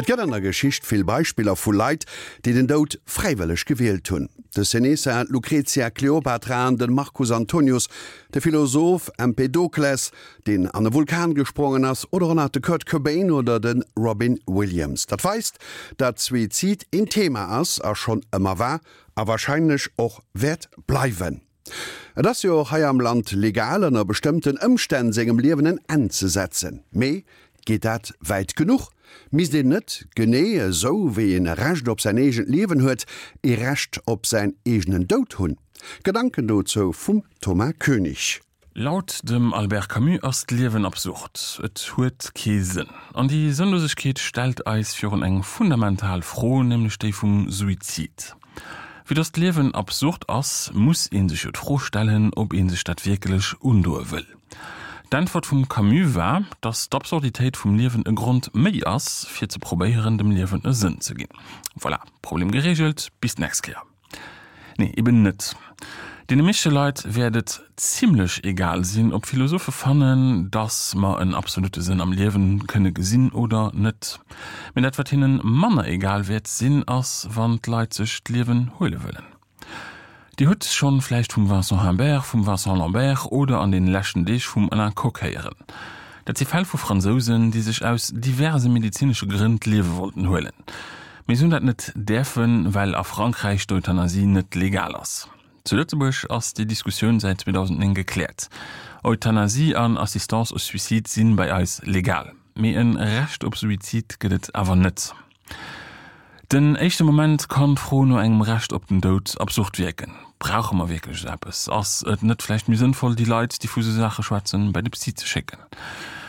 Et gëtt an der Geschicht vill Beispiller vu Leit, déi den Doud fräiwëlleg gewielt hunn. De Seneca, d'Lucretia Cleopatra an de Marcus Antonius, de Philosoph Empedokles, deen an e Vulkan gesprongen ass, oder och nach de Kurt Cobain oder de Robin Williams. Dat weist, datt Suizid een Thema ass a schonn ëmmer war a warscheinlech och wäert bleiwen. Et ass jo och hei am Land legal, ënner bestëmmten Ëmstänn sengem Liewen en Enn ze setzen. Mee geet dat wäit genuch? Misst een net, genee esou wéi een e Recht op säin eegent Liewen huet, ee Recht op säin eegenen Doud hunn? Gedanken dozou vum Thomas Koenig. Laut dem Albert Camus ass d'Liewen absurd, et huet kee Sënn. An déi Sënnlosegkeet stellt eis virun eng fundamental Fro, nämlech déi vum Suizid. Vue dass d'Liewen absurd ass, muss ee sech jo d'Fro stellen, ob ee sech dat wierklech undoe wëll. D'Äntwert vum Camus war, dass d'Absurditéit vum Liewen e Grond méi ass, fir ze probéieren, dem Liewen e Sënn ze ginn. Voilà, Problem gereegelt, bis d'nächst Kéier. Nee, eben net. Deene meeschte Leit wäert et zimlech egal sinn, ob Philosophe fannen, dass mer en absolute Sënn am Liewen kënne gesinn oder net. Mee dat wat hinnen manner egal wäert sinn, ass wann d'Leit sech d'Liewen huele wëllen. Dir hutt schonn vläicht vum Vincent Humbert, vum Vincent Lambert oder an deene leschten Deeg vum Alain Cocq héieren. Dat si Fäll vu Fransousen, déi sech aus diverse medezinesche Grënn d'Liewe wollten huelen. Mee se hunn dat net däerfen, well a Frankräich d'Euthanasie net legal ass. Zu Lëtzebuerg ass déi Diskussioun säit 2009 gekläert. Euthanasie an Assistance au suicide sinn bei eis legal. Mee en Recht op Suizid gëtt et awer net. Den éischte Moment kann d'Fro no engem Recht op den Doud absurd wierken. Brauche mer wierklech esou eppes? Ass et net vläicht méi sënnvoll, déi Leit, déi vu sou Saache schwätzen, bei de Psy ze schécken?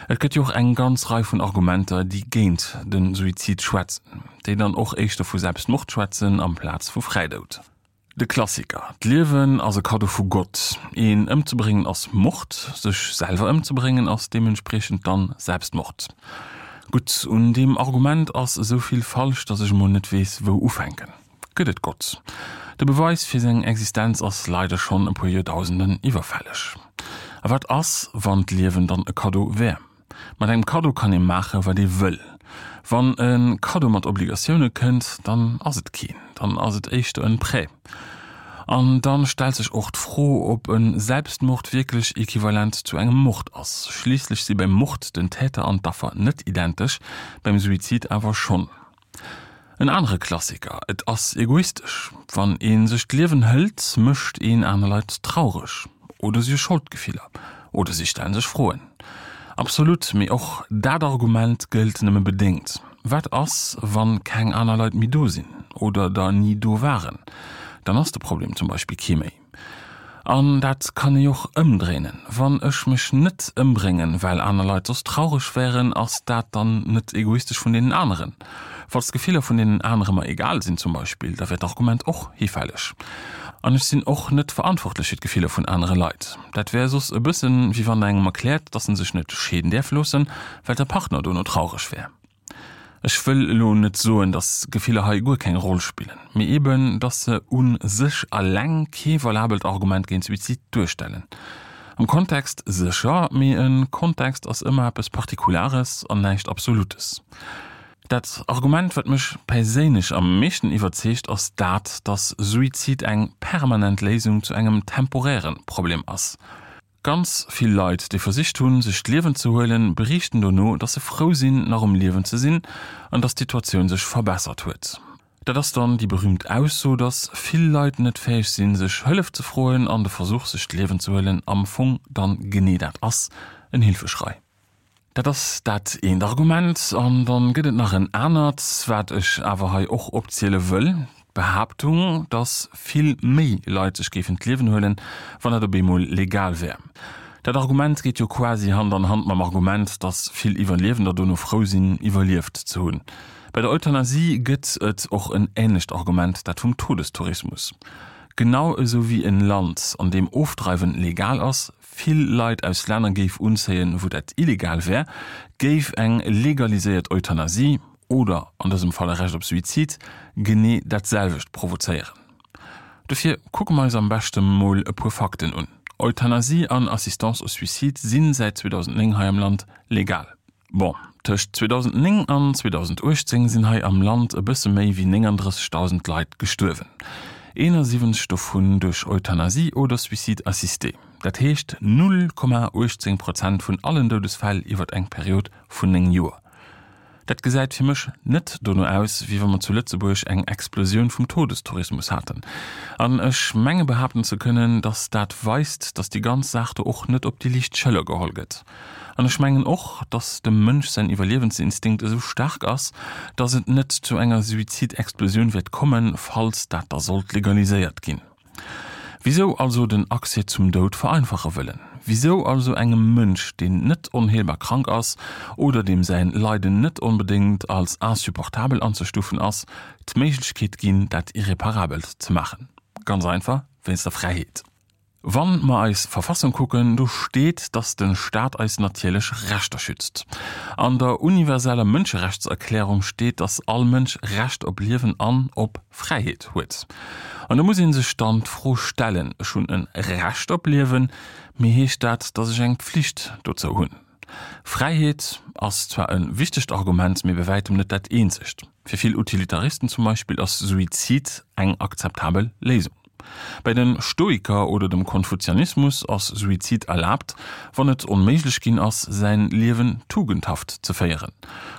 Et gëtt jo och eng ganz Rei vun Argumenter, déi géint de Suizid schwätzen, déi dann och éischter vu Selbstmord schwätzen amplaz vu Fräidoud. De Klassiker, D'Liewen ass e Kaddo vu Gott. Een ëmzebréngen ass Mord, sech selwer ëmzebréngen ass deementspriechend dann Selbstmord. Gutt, un deem Argument ass esou vill falsch, datt ech emol net weess wou ufänken. Gëtt et Gott? De Beweis fir seng Existenz ass leider schonn e puer Joerdausenden iwwerfälleg. A wat ass, wann d'Liewen dann e Kaddo wär? Mat engem Kaddo kann ee maache wat ee wëll. Wann e Kaddo mat Obligatioune kënnt, dann ass et keen, dann ass et éischter en Prêt. An dann stellt sech och d'Fro, ob e Selbstmord wierklech equivalent zu engem Mord ass. Schliisslech si beim Mord den Täter an d'Affer net identesch, beim Suizid awer schonn. En anere Klassiker, Et ass egoistesch. Wann ee sech d'Liewen hëlt, mécht een aner Leit traureg. Oder si hu Scholdgefiller. Oder si stellen sech Froen. Absolut, mee och dat Argument gëllt nëmme bedéngt. Wat ass, wann keng aner Leit méi do sinn oder der ni do waren? Dann ass de Problem zum Beispill kee méi. An dat kann ee jo och ëmdréinen, Wann ech mech net ëmbréngen, well aner Leit soss traureg wären, ass dat dann net egoistesch vun deenen aneren? Falls d'Gefiller vun deenen anere mer egal sinn zum Beispill, da wär d'Argument och hifälleg. An ech sinn och net verantwortlech fir d'Gefiller vun anere Leit. Dat wär soss e bëssen, wéi wann der engem erkläert, dass en sech net scheeden däerf loossen, well der Partner dono traureg wär. Ech wëll elo net soen, dass Gefiller hei guer keng Roll spillen, mee eben, dass se u sech alleng kee valabelt Argument géint Suizid duerstellen. Am Kontext sécher, mee e Kontext ass ëmmer eppes Partikulares an näischt Absolutes. Dat Argument, wat mech perséinlech am meeschten iwwerzeegt, ass dat, dass Suizid eng permanent Léisung zu engem temporäre Problem ass. Ganz vill Leit, déi versicht hunn, sech d'Liewen ze huelen, beriichten dono, dass se frou sinn, nach um Liewen ze sinn an dass d'Situatioun sech verbessert huet. Dat ass dann déi berüümt Ausso, dass vill Leit net fäeg sinn, sech Hëllef ze froen an de Versuch, sech d'Liewen ze huelen, am Fong dann genee dat ass, en Hilfeschrei. Dat ass dat eent Argument. An dann gëtt et nach en anert, wat ech awer hei och opziele wëll, d'Behaaptung, dass vill méi Leit sech géifen d'Liewen huelen, wann dat op eemol legal wär. Dat Argument geet jo quasi Hand an Hand mam Argument, dass vill Iwwerliewender dono frou sinn, iwwerlieft ze hunn. Bei der Euthanasie gëtt et och en änlecht Argument, dat vum Todestourismus. Genau esou wéi en Land, an deem Ofdreiwen legal ass, vill Leit aus Länner géif unzéien, wou dat illegal wär, géif eng legaliséiert Euthanasie, oder an dësem Fall e Recht op Suizid, genee dat selwecht provozéieren. Dofir kucke mer eis am beschte mol e puer Fakten un. Euthanasie an Assistance au suicide si säit 2009 hei am Land legal. Bon, Tëscht 2009 an 2018 sinn hei am Land e bësse méi wéi 39.000 Leit gestuerwen, 71 dovun duerch Euthanasie oder Suicide assisté. Dat heescht 0,18 Prozent vun allen Doudesfäll iwwer eng Period vun 9 Joer. Dat gesäit fir mech net dono aus, wéi wa mer zu Lëtzebuerg eng Explosioun vum Todestourismus haten. An ech menge behaapten ze kënnen, datt dat weist, datt déi ganz Saach do och net op déi liicht Schëller geholl gëtt. An ech mengen och, datt dem Mënsch säin Iwwerliewensinstinkt esou staark ass, datt et net zu enger Suizidexplosioun wäert kommen, falls dat da sollt legaliséiert ginn. Wisou also den Accès zum Doud vereinfache wëllen? Wisou also engem Mënsch, deen net onheelbar krank ass oder deem säin Leiden net onbedéngt als insupportabel anzestufen ass, d'Méiglechkeet ginn, dat Irreparabelt ze maachen? Ganz einfach, wéinst der Fräiheet. Wann mer eis Verfassung kucken, do steet, dass den Staat eis natierlech Rechter schützt. An der universeller Mënscherechtserklärung steet, dass all Mënsch Recht op Liewen an op Fräiheet huet. An do muss ee sech dann d'Fro stellen, ech hunn e Recht op Liewen, mee heescht dat, dass ech eng Pflicht dozou hunn? Fräiheet ass zwar e wichtegt Argument, mee bei wäitem net dat eenzegt. Fir vill Utilitaristen zum Beispill ass Suizid eng akzeptabel Léisung. Bei de Stoiker oder dem Konfuzianismus ass Suizid erlaabt, wann et onméiglech ginn ass, säin Liewen tugendhaft ze féieren.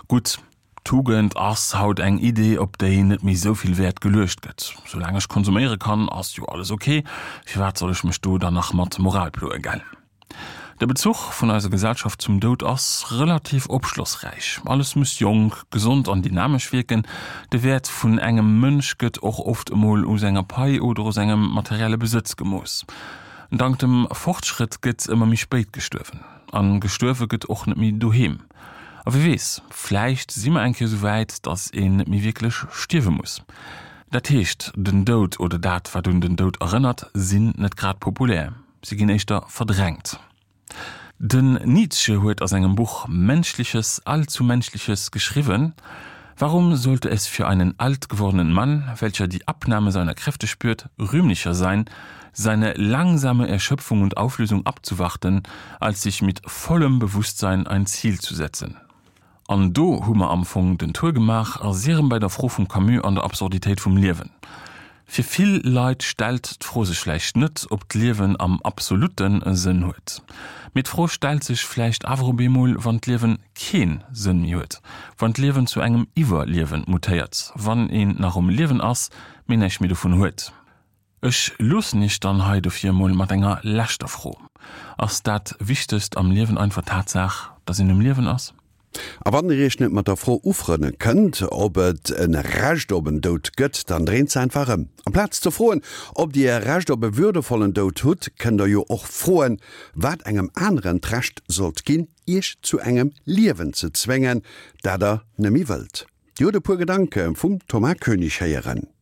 Gutt, Tugend ass haut eng Idee, op déi net méi sou vill Wäert geluecht gëtt. Soulaang ech konsuméiere kann, ass jo alles ok, firwat soll ech mech do dann nach mat Moral ploe, gell? De Bezuch vun eiser Gesellschaft zum Doud ass relativ opschlossräich. Alles muss jonk, gesond an dynamesch wierken. De Wäert vun engem Mënsch gëtt och oft emol u senger Pai oder u sengem materielle Besëtz gemooss. Dank dem Fortschrëtt gëtt ëmmer méi spéit gestuerwen. A gestuerwe gëtt och net méi doheem. A wie weess, vläicht si mer eng Kéier esou wäit, datt een net méi wierklech stierwe muss. Dat heescht, den Doud oder dat, wat un den Doud erënnert, sinn net grad populär. Si ginn éischter verdrängt. Den Nietzsche huet a sengem Buch Menschliches, allzu Menschliches geschriwwen, Warum sollte es für einen alt gewordenen Mann, welcher die Abnahme seiner Kräfte spürt, rühmlicher sein, seine langsame Erschöpfung und Auflösung abzuwarten, als sich mit vollem Bewusstsein ein Ziel zu setzen? An do hu mer am Fong den Tour gemaach a si rëm bei der Fro vum Camus an der Absurditéit vum Liewen. Fir vill Leit stellt d'Fro sech vläicht net, ob d'Liewen am absolutte Sënn huet. Mee d'Fro stellt sech vläicht awer op eemol, wann d'Liewen kee Sënn méi huet, wann d'Liewen zu engem Iwwerliewen mutéiert, wann een nach um Liewen ass, mee näischt méi dovun huet. Ech loossen iech dann hei dofir emol mat enger leschter Fro, Ass dat Wichtegst am Liewen einfach d'Tatsaach, dass een um Liewen ass? A wann dir iech net mat der Fro ufrënne kënnt, ob et e Recht op en Doud gëtt, dann dréint se einfach ëm. Amplaz ze froen, ob dir e Recht op e würdevollen Doud hutt, kënnt der jo och froen, wat engem aneren d'Recht sollt ginn, iech zu engem Liewen ze zwéngen, dat der neméi wëllt. Dir hutt e puer Gedanke vum Thomas Koenig héieren.